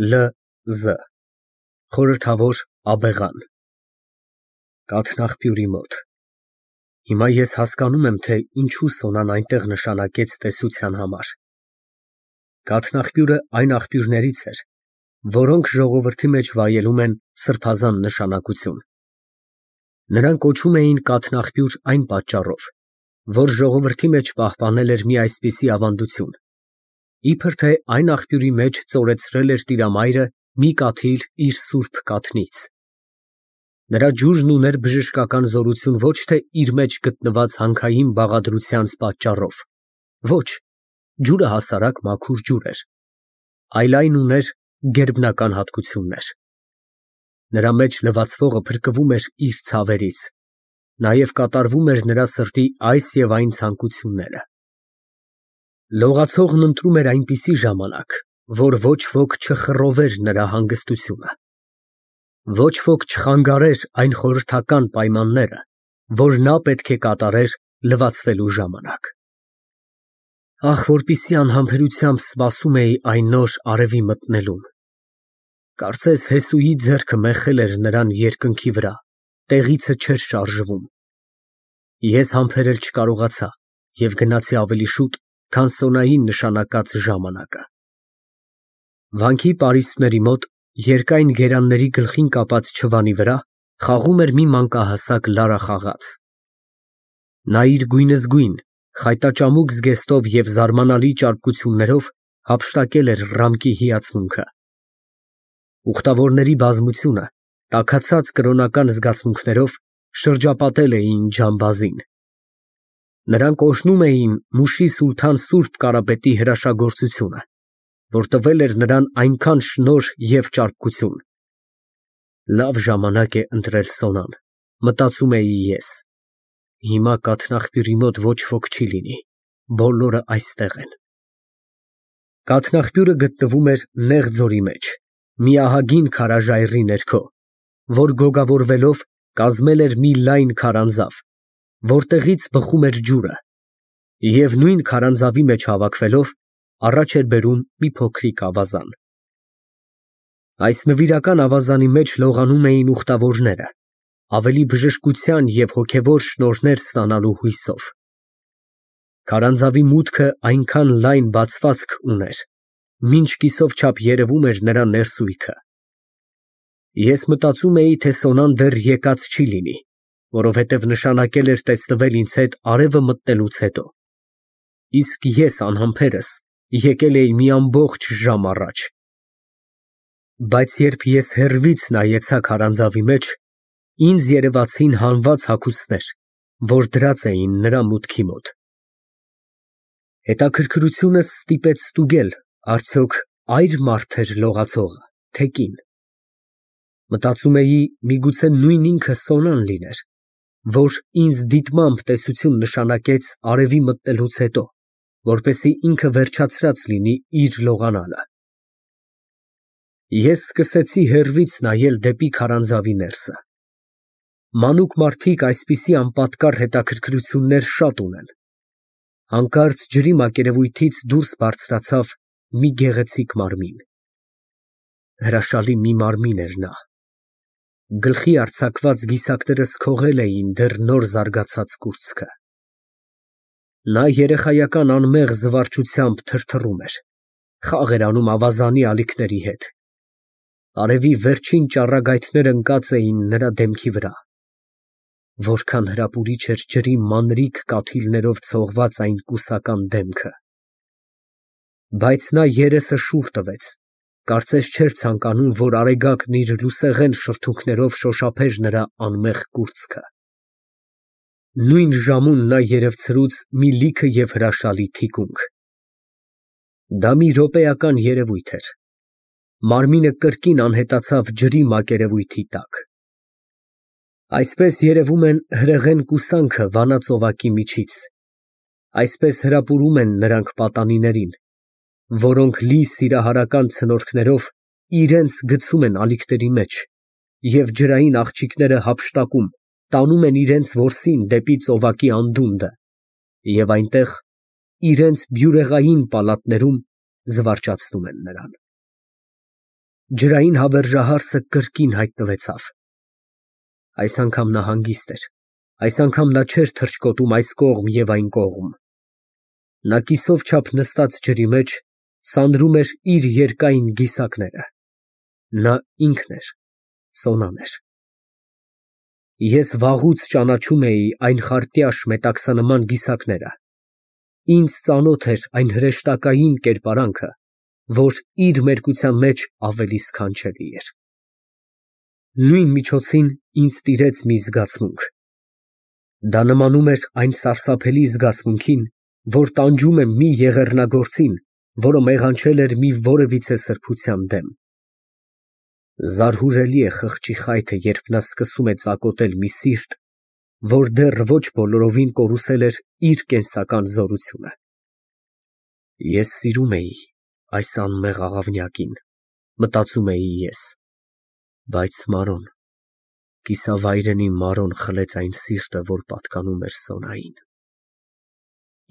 Լ. Խորհրդավոր աբեղան Կաթնաղբյուրի մոտ։ Հիմա ես հասկանում եմ, թե ինչու Սոնան այնտեղ նշանակեց տեսության համար։ Կաթնաղբյուրը այն աղբյուրներից էր, որոնք ժողովրդի մեջ վայելում են սրբազան նշանակություն։ Նրան կոչում էին կաթնաղբյուր այն պատճառով, որ ժողովրդի մեջ պահպանել էր մի այսպիսի ավանդություն, իբր թե այն աղբյուրի մեջ ծորեցրել էր Տիրամայրը մի կաթիլ իր սուրբ կաթնից։ Նրա ջուրն ուներ բժշկական զորություն ոչ թե իր մեջ գտնված հանքային բաղադրությանց պատճառով, ոչ, ջուրը հասարակ մաքուր ջուր էր, այլ այն ուներ գերբնական հատկություններ։ Նրա մեջ լվացվողը փրկվում էր իր ցավերից, նաև կատարվում էր նրա սրտի այս և այն ցանկությունները։ Լողացողն ընտրում էր այնպիսի ժամանակ, որ ոչ ոք չխռովեր նրա հանգստությունը, ոչ ոք չխանգարեր այն խորհրդական պայմանները, որ նա պետք է կատարեր լվացվելու ժամանակ։ Ահ, որպիսի անհամբերությամբ սպասում էի այն նոր արևի մտնելուն։ Կարծես Հեսուի ձեռքը մեխել էր նրան երկնքի վրա, տեղիցը չէր շարժվում։ Ես համբերել չկարողացա և գնացի ավելի շուտ, քան Սոնային նշանակած ժամանակը։ Վանքի պարիսպների մոտ, երկայն գերանների գլխին կապած չվանի վրա, խաղում էր մի մանկահասակ լարախաղաց։ Նա իր գույնզգույն, խայտաճամուկ զգեստով և զարմանալի ճարպկություններով հափշտակել էր ռամկի հիացմունքը։ Ուխտավորների բազմությունը, տաքացած կրոնական զգացմունքներով, շրջապատել էին ջամբազին։ Նրանք օրհնում էին Մուշի սուլթան սուրբ Կարապետի հրաշագործությունը, որ տվել էր նրան այնքան շնորհ և ճարպկություն։ Լավ ժամանակ է ընտրել Սոնան, մտածում էի ես։ Հիմա կաթնաղբյուրի մոտ ոչ ոք չի լինի, բոլորը այստեղ են։ Կաթնաղբյուրը գտնվում էր նեղ ձորի մեջ, մի ահագին քարաժայռի ներքո, որ գոգավորվելով կազմել էր մի լայն քարանձավ, որտեղից բխում էր ջուրը, և նույն քարանձավի մեջ հավաքվելով առաջ էր բերում մի փոքրիկ ավազան։ Այս նվիրական ավազանի մեջ լողանում էին ուխտավորները, ավելի բժշկության և հոգևոր շնորհներ ստանալու հույսով։ Քարանձավի մուտքը այնքան լայն բացվածք ուներ, մինչ կիսով չափ երևում էր նրա ներսույթը։ Ես մտածում էի, թե Սոնան դեռ եկած չի լինի, որովհետև նշանակել էր տեսնվել ինձ հետ արևը մտնելուց հետո, իսկ ես անհամբերս եկել էի մի ամբողջ ժամ առաջ։ Բայց երբ ես հեռվից նայեցա քարանձավի մեջ, ինձ երևացին հանված հագուստներ, որ դրած էին նրա մուտքի մոտ։ Հետաքրքրությունս ստիպեց ստուգել, արդյոք այր մարդ էր լողացողը, թե կին։ Մտածում էի, միգուցե նույն ինքը Սոնան լիներ, որ ինձ դիտմամբ տեսություն նշանակեց արևի մտնելուց հետո, որպեսզի ինքը վերջացրած լինի իր լողանալը։ Ես սկսեցի հեռվից նայել դեպի քարանձավի ներսը։ Մանուկ մարդիկ այսպիսի անպատկառ հետաքրքրություններ շատ ունեն։ Հանկարծ ջրի մակերևույթից դուրս բարձրացավ մի գեղեցիկ մարմին։ Հրաշալի մի մարմին էր նա։ Գլխի արձակված գիսակներս քողել էին դեռ նոր զարգացած կուրծքը։ Նա երեխայական անմեղ զվարճությամբ թրթռում էր, խաղ էր անում ավազանի ալիքների հետ։ Արևի վերջին ճառագայթներն ընկած էին նրա դեմքի վրա։ Որքան հրապուրիչ էր ջրի մանրիկ կաթիլներով ցողված այն կուսական դեմքը։ Բայց նա երեսը շուռ տվեց, կարծես չէր ցանկանում, որ արեգակն իր լուսեղեն շրթունքներով շոշափեր նրա անմեղ կուրծքը։ Նույն ժամուն նա երևցրուց մի լիքը և հրաշալի թիկունք։ Դա մի րոպեական երևույթ էր։ Մարմինը կրկին անհետացավ ջրի մակերևույթի տակ։ Այսպես երևում են հրեղեն կուսանքը վանա ծովակի միջից, այսպես հրապուրում են նրանք պատանիներին, որոնք լի սիրահարական ցնորքներով իրենց գցում են ալիքների մեջ և ջրային աղջիկները հափշտակում, տանում են իրենց որսին դեպի ծովակի անդունդը և այնտեղ, իրենց բյուրեղային պալատներում զվարճացնում են նրան։ Ջրային հավերժահարսը կրկին հայտնվեցավ։ Այս անգամ նա հանգիստ էր, այս անգամ նա չէր թռչկոտում այս կողմ և այն կողմ։ Նա կիսով չափ նստած ջրի մեջ սանրում էր իր երկայն գիսակները։ Նա ինքն էր, Սոնան էր։ Ես վաղուց ճանաչում էի այն խարտյաշ մետաքսանման գիսակները։ Ինձ ծանոթ էր այն հրեշտակային կերպարանքը, որ իր մերկության մեջ ավելի սքանչելի էր։ Նույն միջոցին ինձ տիրեց մի զգացմունք։ Դա նմանում էր այն սարսափելի զգացմունքին, որ տանջում է մի եղեռնագործին, որը մեղանչել էր մի որևիցե սրբության դեմ։ Զարհուրելի է խղճի խայթը, երբ նա սկսում է ծակոտել մի սիրտ, որ դեռ ոչ բոլորովին կորուսել էր իր կենսական զորությունը։ Ես սիրում էի այս անմեղ աղավնյակին, մտածում էի ես, բայց Մարոն, կիսավայրենի Մարոն խլեց այն սիրտը, որ պատկանում էր Սոնային։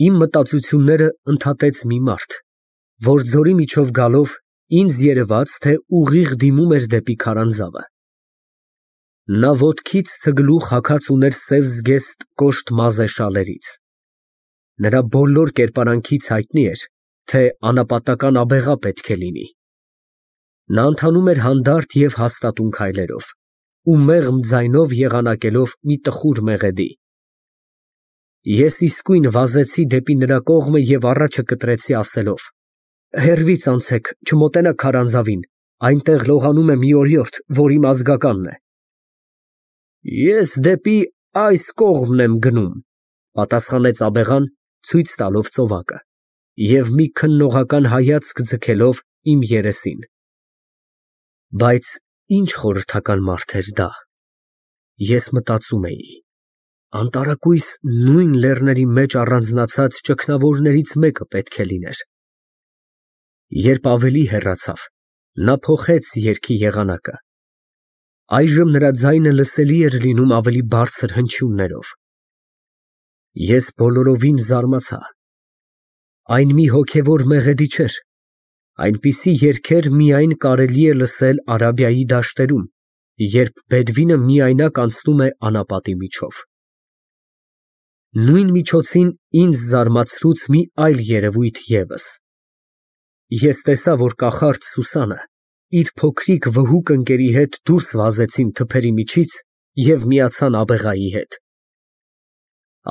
Իմ մտածությունները ընդհատեց մի մարդ, որ ձորի միջով գալով ինձ երևաց, թե ուղիղ դիմում էր դեպի քարանձավը։ Նա ոտքից ցգլուխ հագած ուներ սև զգեստ կոշտ մազե շալերից։ Նրա բոլոր կերպարանքից հայտնի էր, թե անապատական աբեղա պետք է լինի։ Նա ընթանում էր հանդարտ և հաստատուն քայլերով ու մեղմ ձայնով եղանակելով մի տխուր մեղեդի։ Ես իսկույն վազեցի դեպի նրա կողմը և առաջը կտրեցի ասելով. «Հեռվից անցեք, չմոտենաք քարանձավին, այնտեղ լողանում է մի օրիորդ, որ իմ ազգականն է»։ Ես դեպի այս կողմն եմ գնում, պատասխանեց աբեղան, ցույց տալով ծովակը և մի քննողական հայացք ձգելով իմ երեսին։ Բայց ինչ խորհրդական մարդ էր դա։ Ես մտածում էի. անտարակույս նույն լեռների մեջ առանձնացած ճգնավորներից մեկը պետք է լիներ։ Երբ ավելի հեռացավ, նա փոխեց երգի եղանակը։ Այժմ նրա ձայնը լսելի էր լինում ավելի բարձր հնչյուններով։ Ես բոլորովին զարմացա։ Այն մի հոգևոր մեղեդի չէր։ Այնպիսի երգեր միայն կարելի է լսել Արաբիայի դաշտերում, երբ բեդվինը միայնակ անցնում է անապատի միջով։ Նույն միջոցին ինձ զարմացրուց մի այլ երևույթ ևս։ Ես տեսա, որ կախարդ Սուսանը իր փոքրիկ վհուկ ընկերի հետ դուրս վազեցին թփերի միջից և միացան աբեղայի հետ։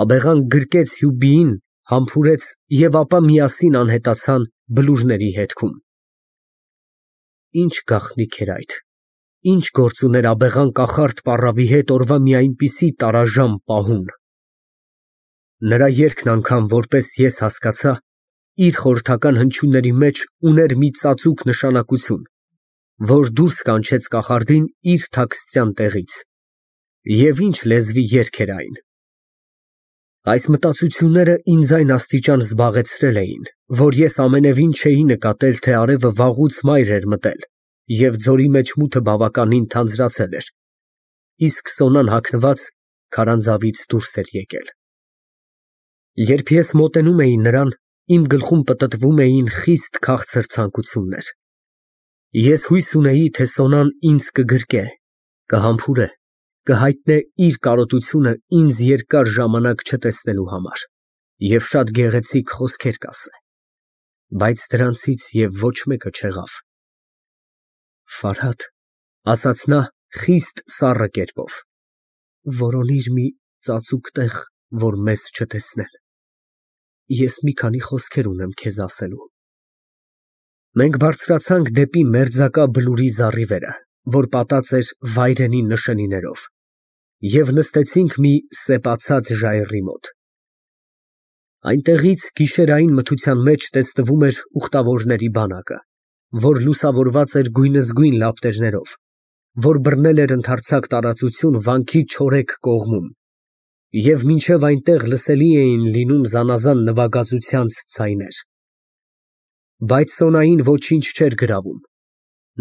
Աբեղան գրկեց Հյուբիին, համբուրեց և ապա միասին անհետացան բլուրների հետքում։ Ինչ գաղտնիք էր այդ, ինչ գործ ուներ աբեղան կախարդ պառավի հետ օրվա մի այնպիսի տարաժամ պահուն։ Նրա երգն անգամ, որպես ես հասկացա, իր խորհրդական հնչյունների մեջ ուներ մի ծածուկ նշանակություն, որ դուրս կանչեց կախարդին իր թաքստյան տեղից։ Եվ ինչ լեզվի երգ էր այն։ Այս մտածությունները ինձ այն աստիճան զբաղեցրել էին, որ ես ամենևին չէի նկատել, թե արևը վաղուց մայր էր մտել, և ձորի մեջ մութը բավականին թանձրացել էր, իսկ Սոնան հագնված քարանձավից դուրս էր եկել։ Երբ ես մոտենում էի նրան, իմ գլխում պտտվում էին խիստ քաղցր ցանկություններ։ Ես հույս ունեի, թե Սոնան ինձ կգրկե, կհամբուրե, կհայտնե իր կարոտությունը ինձ երկար ժամանակ չտեսնելու համար և շատ գեղեցիկ խոսքեր կասե, բայց դրանցից և ոչ մեկը չեղավ։ Ֆարհադ, ասաց նա խիստ սառը կերպով, որոնիր մի ծածուկ տեղ, որ մեզ չտեսնեն։ Ես մի քանի խոսքեր ունեմ քեզ ասելու։ Մենք բարձրացանք դեպի մերձակա բլուրի զառիվերը, որ պատած էր վայրենի նշանիներով, և նստեցինք մի սեպացած ժայռի մոտ։ Այնտեղից գիշերային մթության մեջ տեսնվում էր ուխտավորների բանակը, որ լուսավորված էր գույնզգույն լապտերներով, որ բռնել էր ընդարձակ տարածություն վանքի չորեկ կողմում, և մինչև այնտեղ լսելի էին լինում զանազան նվագածությանց ձայներ։ Բայց Սոնային ոչինչ չէր գրավում։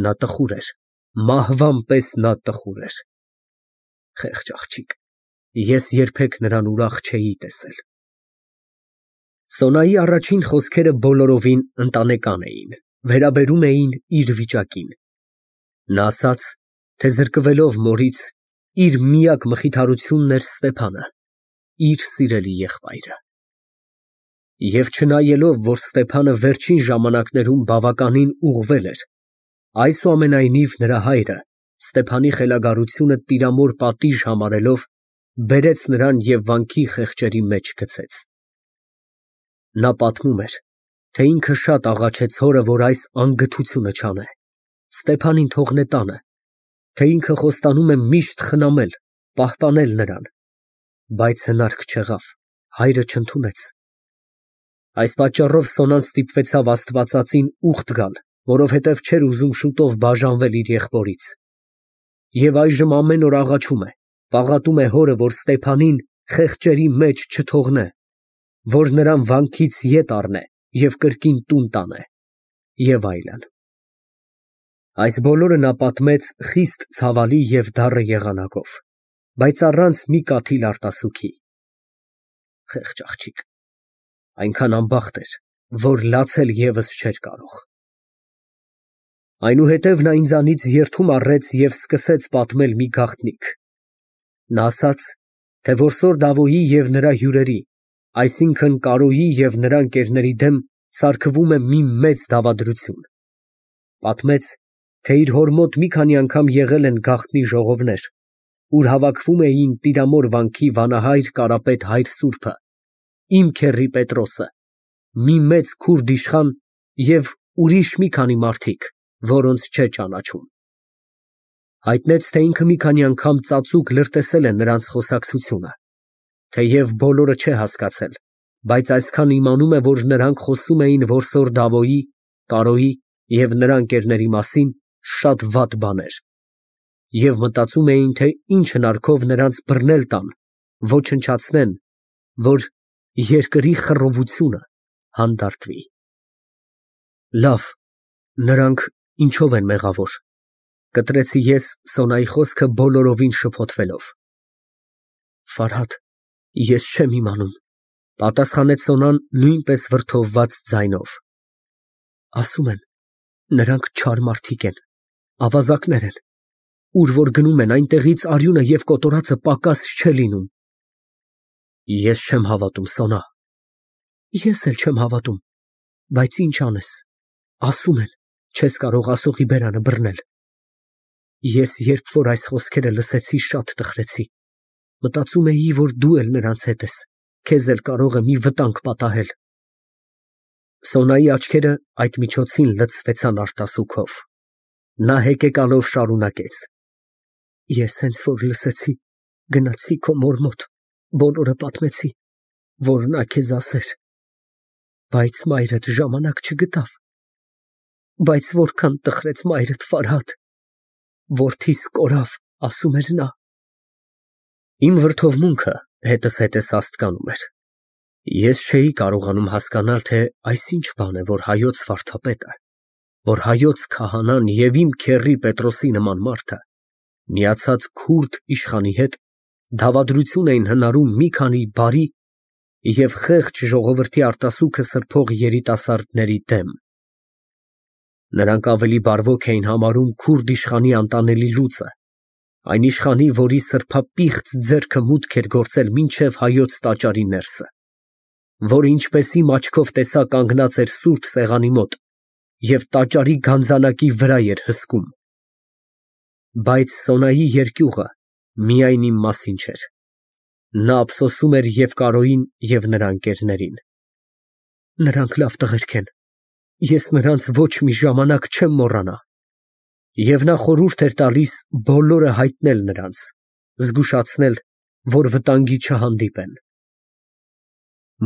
Նա տխուր էր, մահվան պես նա տխուր էր։ Խեղճ աղջիկ, ես երբեք նրան ուրախ չէի տեսել։ Սոնայի առաջին խոսքերը բոլորովին ընտանեկան էին, վերաբերում էին իր վիճակին։ Նա ասաց, թե զրկվելով մորից, իր միակ մխիթարությունն էր Ստեփանը, իր սիրելի եղբայրը։ Եվ չնայելով, որ Ստեփանը վերջին ժամանակներում բավականին ուղղվել էր, այսուամենայնիվ նրա հայրը, Ստեփանի խելագարությունը տիրամոր պատիժ համարելով, բերեց նրան և վանքի խեղճերի մեջ գցեց։ Նա պատմում էր, թե ինքը շատ աղաչեց հորը, որ այս անգթությունը չանե, Ստեփանին թողնե տանը, թե ինքը խոստանում է միշտ խնամել, պահպանել նրան, բայց հնարք չեղավ, հայրը չընդունեց։ Այս պատճառով Սոնան ստիպվեցավ Աստվածածին ուխտ գալ, որովհետև չէր ուզում շուտով բաժանվել իր եղբորից։ Եվ այժմ ամեն օր աղաչում է, պաղատում է հորը, որ Ստեփանին խեղճերի մեջ չթողնե, որ նրան վանքից ետ առնե և կրկին տուն տանե և այլն։ Այս բոլորը նա պատմեց խիստ ցավալի և դառը եղանակով, բայց առանց մի կաթիլ արտասուքի։ Խեղճ աղջիկ, այնքան անբախտ էր, որ լացել ևս չէր կարող։ Այնուհետև նա ինձանից երդում առեց և սկսեց պատմել մի գաղտնիք։ Նա ասաց, թե որսոր Դավոյի և նրա հյուրերի, այսինքն Կարոյի և նրա ընկերների դեմ սարքվում է մի մեծ դավադրություն։ Պատմեց, թե իր հոր մոտ մի քանի անգամ եղել են գաղտնի ժողովներ, ուր հավաքվում էին Տիրամոր վանքի վանահայր Կարապետ հայր սուրբը, իմ քեռի Պետրոսը, մի մեծ քուրդ իշխան և ուրիշ մի քանի մարդիկ, որոնց չէ ճանաչում։ Հայտնեց, թե ինքը մի քանի անգամ ծածուկ լրտեսել է նրանց խոսակցությունը, թեև բոլորը չէ հասկացել, բայց այսքան իմանում է, որ նրանք խոսում էին որսոր Դավոյի, Կարոյի և նրա ընկերների մասին շատ վատ բաներ, և մտածում էին, թե ինչ հնարքով նրանց բռնել տան, ոչնչացնեն, որ երկրի խռովությունը հանդարտվի։ Լավ, նրանք ինչով են մեղավոր, կտրեցի ես Սոնայի խոսքը բոլորովին շփոթվելով։ Ֆարհադ, ես չեմ իմանում, պատասխանեց Սոնան նույնպես վրդովված ձայնով։ Ասում են, նրանք չար մարդիկ են, ավազակներ են, ուր որ գնում են, այնտեղից արյունը և կոտորածը պակաս չէ լինում։ Ես չեմ հավատում, Սոնա։ Ես էլ չեմ հավատում, բայց ինչ անես, ասում են, չես կարող ասողի բերանը բռնել։ Ես երբ որ այս խոսքերը լսեցի, շատ տխրեցի, մտածում էի, որ դու էլ նրանց հետ ես, քեզ էլ կարող է մի վտանգ պատահել։ Սոնայի աչքերը այդ միջոցին լցվեցան արտասուքով։ Նա հեկեկալով շարունակեց. Ես հենց որ լսեցի, գնացի քո մոր մոտ, բոլորը պատմեցի, որ նա քեզ ասեր, բայց մայրդ ժամանակ չգտավ։ Բայց որքան տխրեց մայրդ, Ֆարհադ, որդիս կորավ, ասում էր նա։ Իմ վրդովմունքը հետզհետե սաստկանում էր։ Ես չէի կարողանում հասկանալ, թե այս ինչ բան է, որ հայոց վարդապետը, որ հայոց քահանան և իմ քեռի Պետրոսի նման մարդը, միացած քուրդ իշխանի հետ, դավադրություն էին հնարում մի քանի բարի և խեղճ ժողովրդի արտասուքը սրբող երիտասարդների դեմ։ Նրանք ավելի բարվոք էին համարում քուրդ իշխանի անտանելի լուծը, այն իշխանի, որի սրբապիղծ ձեռքը մուտք էր գործել մինչև հայոց տաճարի ներսը, որը ինչպես իմ աչքով տեսա կանգնած էր սուրբ սեղանի մոտ և տաճարի գանձանակի վրա էր հսկում։ Բայց Սոնայի երկյուղը միայն իմ մասին չէր։ Նա ափսոսում էր և Կարոյին, և նրա ընկերներին։ Նրանք լավ տղերք են, ես նրանց ոչ մի ժամանակ չեմ մոռանա։ Եվ նա խորհուրդ էր տալիս բոլորը հայտնել նրանց, զգուշացնել, որ վտանգի չհանդիպեն։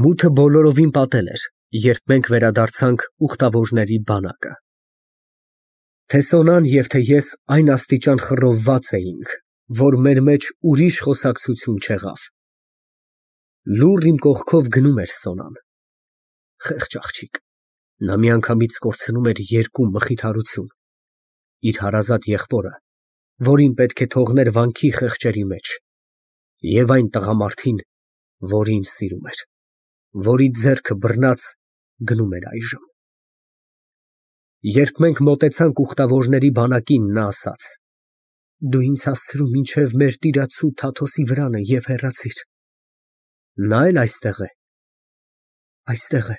Մութը բոլորովին պատել էր, երբ մենք վերադարձանք ուխտավորների բանակը։ Թե Սոնան և թե ես այն աստիճան խռովված էինք, որ մեր մեջ ուրիշ խոսակցություն չեղավ։ Լուռ իմ կողքով գնում էր Սոնան։ Խեղճ աղջիկ, նա միանգամից կորցնում էր երկու մխիթարություն, իր հարազատ եղբորը, որին պետք է թողներ վանքի խեղճերի մեջ, և այն տղամարդին, որին սիրում էր, որի ձեռքը բռնած գնում էր այժմ։ Երբ մենք մոտեցանք ուխտավորների բանակին, նա ասաց. «Դու ինձ հասցրու մինչև մեր տիրացու Թաթոսի վրանը և հեռացիր»։ Նա էլ այստե՞ղ է։ Այստեղ է,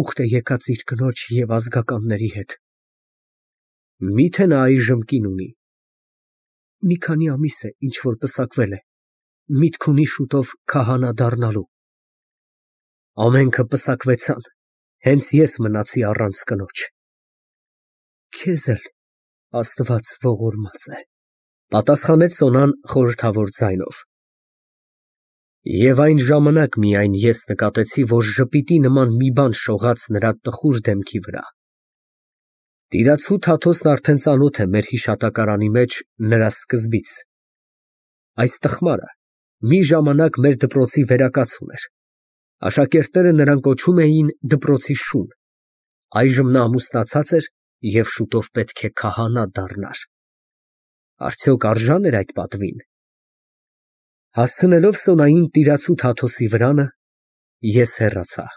ուխտ է եկած իր կնոջ և ազգականների հետ։ Մի՞թե նա այժմ կին ունի։ Մի քանի ամիս է, ինչ որ պսակվել է, միտք ունի շուտով քահանա դառնալու։ Ամենքը պսակվեցան, հենց ես մնացի առանց կնոջ։ Քեզ էլ Աստված ողորմած է, պատասխանեց Սոնան խորհրդավոր ձայնով։ Եվ այն ժամանակ միայն ես նկատեցի, որ ժպիտի նման մի բան շողաց նրա տխուր դեմքի վրա։ Տիրացու Թաթոսն արդեն ծանոթ է մեր հիշատակարանի մեջ նրա սկզբից։ Այս տխմարը մի ժամանակ մեր դպրոցի վերակաց ուներ։ Աշակերտները նրան կոչում էին դպրոցի շուն։ Այժմ նա ամուսնացած էր և շուտով պետք է քահանա դառնար։ Արդյոք արժա՞ն էր այդ պատվին։ Հասցնելով Սոնային տիրացու Թաթոսի վրանը, ես հեռացա։